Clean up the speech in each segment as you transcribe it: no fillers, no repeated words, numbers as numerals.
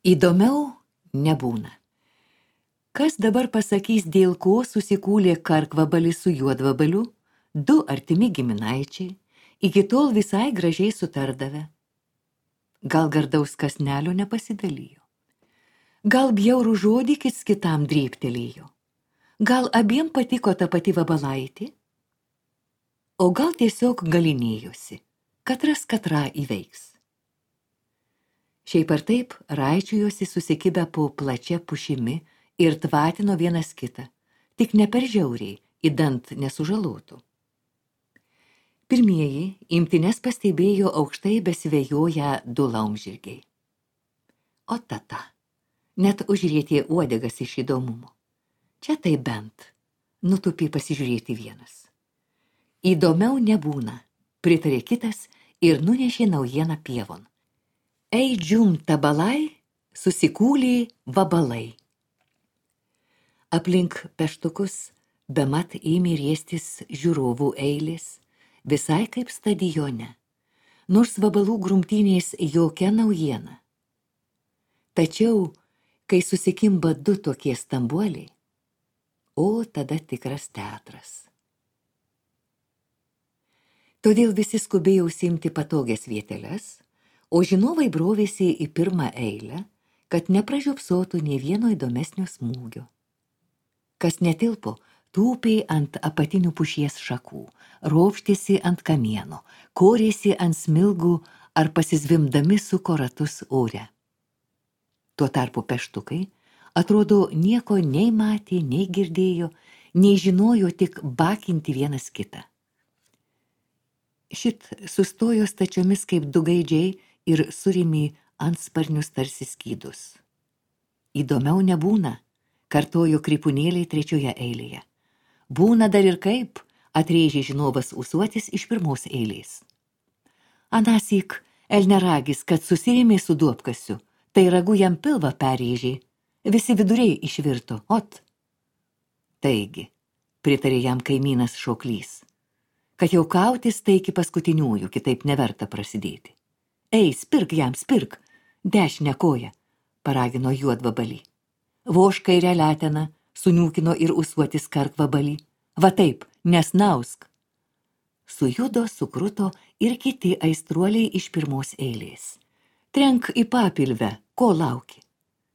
Įdomiau nebūna. Kas dabar pasakys, dėl ko susikūlė karkvabalis su juodvabaliu, du artimi giminaičiai, iki tol visai gražiai sutardavę. Gal gardaus kasnelio nepasidalijo. Gal bjaurų žodį kits kitam drėbtelėjo. Gal abiem patiko ta pati vabalaitė. O gal tiesiog galinėjosi, katras katrą įveiks. Šiaip ar taip raičiojosi susikibę po plačia pušimi ir tvatino vienas kitą, tik ne per žiauriai, įdant nesužalotų. Pirmieji imtines pastebėjo aukštai besivėjoję du laumžirgiai. O tata, net užrietė uodegas iš įdomumo. Čia tai bent, nutupė pasižiūrėti vienas. Įdomiau nebūna, pritarė kitas ir nunešė naujieną pievon. Ei džium tabalai, susikūlė vabalai. Aplink peštukus bemat ėmė riestis žiūrovų eilės, visai kaip stadione, nors vabalų grumtynės jokia naujiena. Tačiau, kai susikimba du tokie stambuoliai, o tada tikras teatras. Todėl visi skubėjo užsiimti patogias vieteles, o žinovai brovėsi į pirmą eilę, kad nepražiopsotų nė vieno įdomesnio smūgio. Kas netilpo, tūpė ant apatinių pušies šakų, ropštėsi ant kamieno, korėsi ant smilgų ar pasizvimdami suko ratus ore. Tuo tarpu peštukai, atrodo, nieko nei matė, nei girdėjo, nei žinojo tik bakinti vienas kitą. Šit sustojo stačiomis kaip du gaidžiai ir surėmė antsparnius tarsi skydus. Įdomiau nebūna, kartojo krypunėliai trečioje eilėje. Būna dar ir kaip, atrėžė žinovas ūsuotis iš pirmos eilės. Anąsyk elneragis, kad susirėmė su duobkasiu, tai ragu jam pilvą perrėžė, visi viduriai išvirto, ot. Taigi, pritarė jam kaimynas šoklys, kad jau kautis tai iki paskutiniųjų, kitaip neverta prasidėti. Ei, spirk jam, spirk, dešinę koją, paragino juodvabalį. Voš kairę leteną, suniūkino ir ūsuotis karkvabalį. Va taip, nesnausk. Sujudo, sukruto ir kiti aistruoliai iš pirmos eilės. Trenk į papilvę, ko lauki?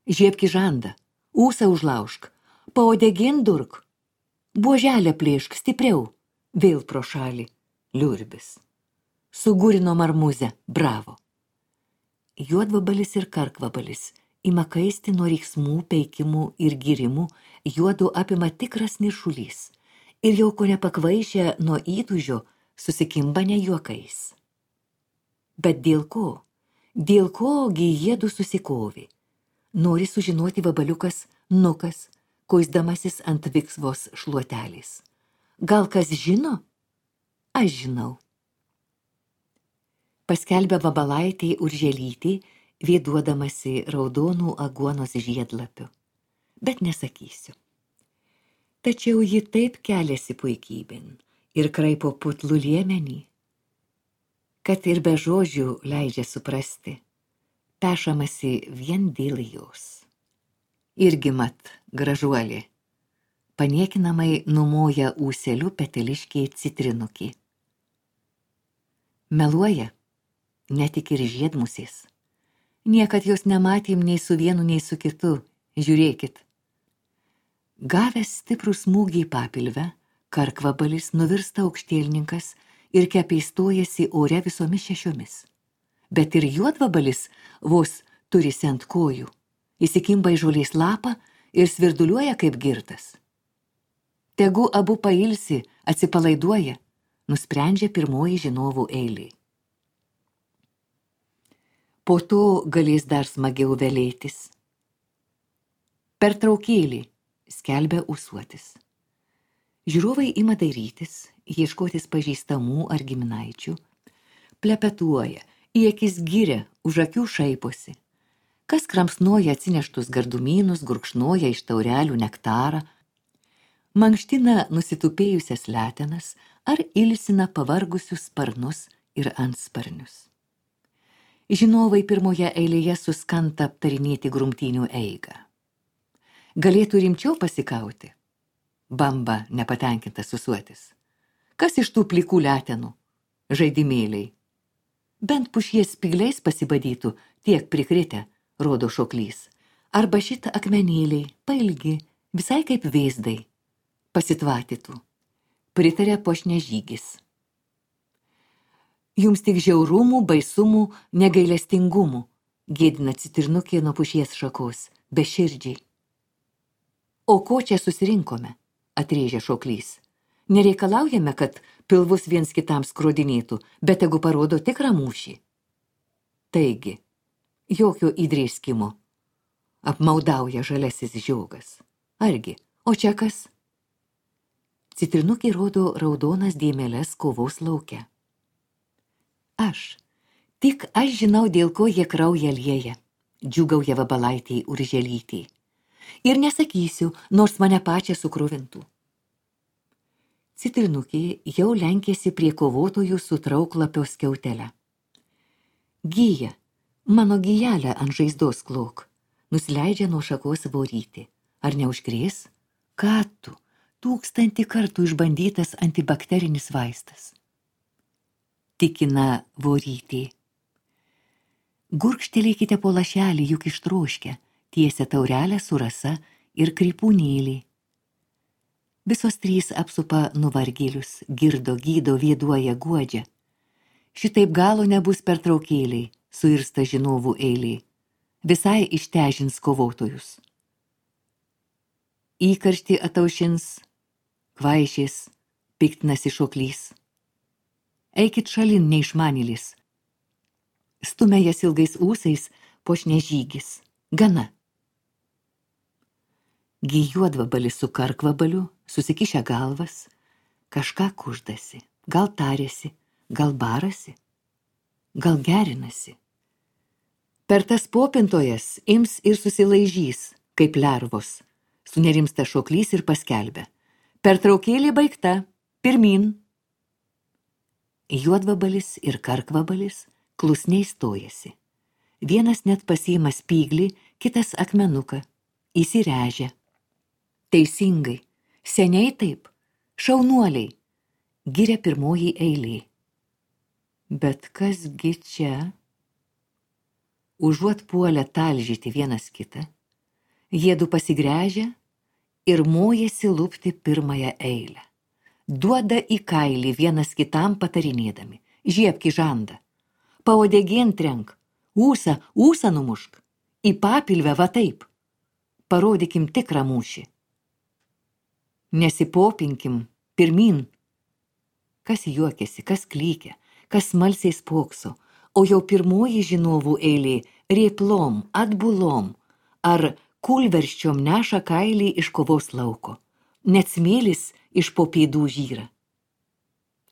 Žiebki žandą, ūsą užlaužk, paodegin durk. Buoželę plėšk stipriau, vėl pro šalį, liurbis. Sugurino marmuzę, bravo. Juodvabalis ir karkvabalis ima kaisti nuo riksmų, peikimų ir girimų, juodu apima tikras niršulys ir jau ko nepakvaišę nuo įtūžio susikimba ne juokais. Bet dėl ko? Dėl kogi jiedu susikovė? Nori sužinoti vabaliukas Nukas, kuisdamasis ant viksvos šluotelės. Gal kas žino? Aš žinau. Paskelbė vabalaitė Urželytė, vėduodamasi raudonų aguonos žiedlapių. Bet nesakysiu. Tačiau ji taip keliasi puikybėn ir kraipo putlų liemenį, kad ir be žodžių leidžia suprasti, pešamasi vien dėl jos. Irgi mat, gražuolė, paniekinamai numoja ūseliu peteliškiai citrinukį. Meluoja, netik ir žiedmusės. Niekad jos nematėm nei su vienu, nei su kitu. Žiūrėkit. Gavęs stiprų smūgį į papilvę, karkvabalis nuvirsta aukštielninkas ir kepeistojasi ore visomis šešiomis. Bet ir juodvabalis vos turisi ant kojų. Įsikimba į žolės lapą ir svirduliuoja kaip girtas. Tegu abu pailsi, atsipalaiduoja, nusprendžia pirmoji žinovų eilė. Po to galės dar smagiau velėtis. Pertraukėlį, skelbia ūsuotis. Žiūrovai ima dairytis, ieškotis pažįstamų ar giminaičių, plepetuoja, į akis giria, už akių šaiposi. Kas kramsnoja atsineštus gardumynus, gurkšnoja iš taurelių nektarą, mankština nusitupėjusias letenas ar ilsina pavargusius sparnus ir antsparnius. Žinovai pirmoje eilėje suskanta aptarinėti grumtynių eigą. Galėtų rimčiau pasikauti. Bamba nepatenkintas susuotis. Kas iš tų plikų letenų? Žaidimėliai. Bent pušies spygliais pasibadytų, tiek prikritę, rodo šoklys. Arba šitą akmenėliai, pailgi, visai kaip vėzdai, pasitvatytų. Pritarė Pošnežygis. Jums tik žiaurumų, baisumų, negailestingumų, gėdina Citrinukė nuo pušies šakos, beširdžiai. O ko čia susirinkome, atrėžė šoklys. Nereikalaujame, kad pilvus viens kitam skrodinėtų, bet tegu parodo tikrą mūšį. Taigi, jokio įdrėskimo. Apmaudauja žalesis žiogas. Argi, o čia kas? Citrinukė rodo raudonas dėmeles kovos lauke. Tik aš žinau, dėl ko jie kraują lieja, džiūgauja Vabalaitei Urželytei. Ir nesakysiu, nors mane pačią sukruvintų. Citrinukė jau lenkėsi prie kovotojų su trauklapio skiautelę. Gyja, mano gyjelę ant žaizdos klok, nusileidžia nuo šakos Vorytė. Ar neužkrės? Ką tu, 1000 kartų išbandytas antibakterinis vaistas. Tikina Vorytė. Gurkštelėkite po lašelį, juk ištroškę, tiesia taurelę su rasa ir krypūnėlį. Visos 3 apsupa nuvargėlius, girdo, gydo, vėduoja, guodžia. Šitaip galo nebus pertraukėliai, suirsta žinovų eiliai. Visai ištežins kovotojus. Įkarštį ataušins, kvaišės, piktinasi šoklys. Eikit šalin, neišmanėlis. Stumia jas ilgais ūsais Pošnežygis. Gana. Gi Juodvabalis su Karkvabaliu, susikišę galvas, kažką kuždasi, gal tarėsi, gal barasi, gal gerinasi. Per tas popintojas ims ir susilaižys, kaip lervos, sunerimsta šoklys ir paskelbia. Pertraukėlė baigta, pirmin. Juodvabalis ir Karkvabalis klusniai stojasi. Vienas net pasiima spyglį, kitas akmenuką, įsirežia. Teisingai, seniai taip, šaunuoliai, giria pirmoji eilė. Bet kasgi čia? Užuot puolę talžyti vienas kitą, jiedu pasigręžia ir mojasi lupti pirmąją eilę. Duoda į kailį vienas kitam patarinėdami. Žiebki žandą. Paodegėn trenk. Ūsą numušk. Į papilvę va taip. Parodykim tikrą mūšį. Nesipopinkim, pirmin. Kas juokiasi, kas klykia, kas smalsiai spokso, o jau pirmoji žinovų eilė rėplom, atbulom ar kulverščiom neša kailį iš kovos lauko. Net smėlis iš po pėdų žyra.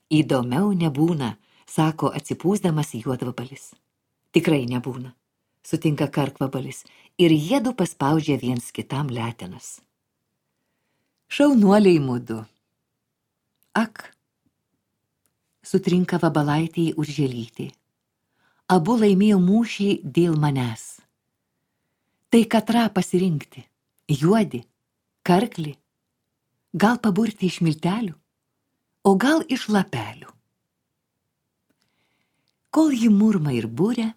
Įdomiau nebūna, sako atsipūsdamas Juodvabalis. Tikrai nebūna, sutinka Karkvabalis, ir jiedu paspaudžia viens kitam letenas. Šaunuoliai mudu. Ak, sutrinka Vabalaitei Urželytė. Abu laimėjo mūšį dėl manęs. Tai katrą pasirinkti, juodi, karklį, gal paburti iš miltelių, o gal iš lapelių. Kol ji murma ir būria,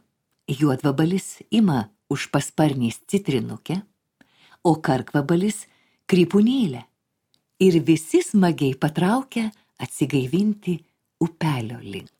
Juodvabalis ima už pasparnės citrinukę, o Karkvabalis krypūnėlę ir visi smagiai patraukia atsigaivinti upelio link.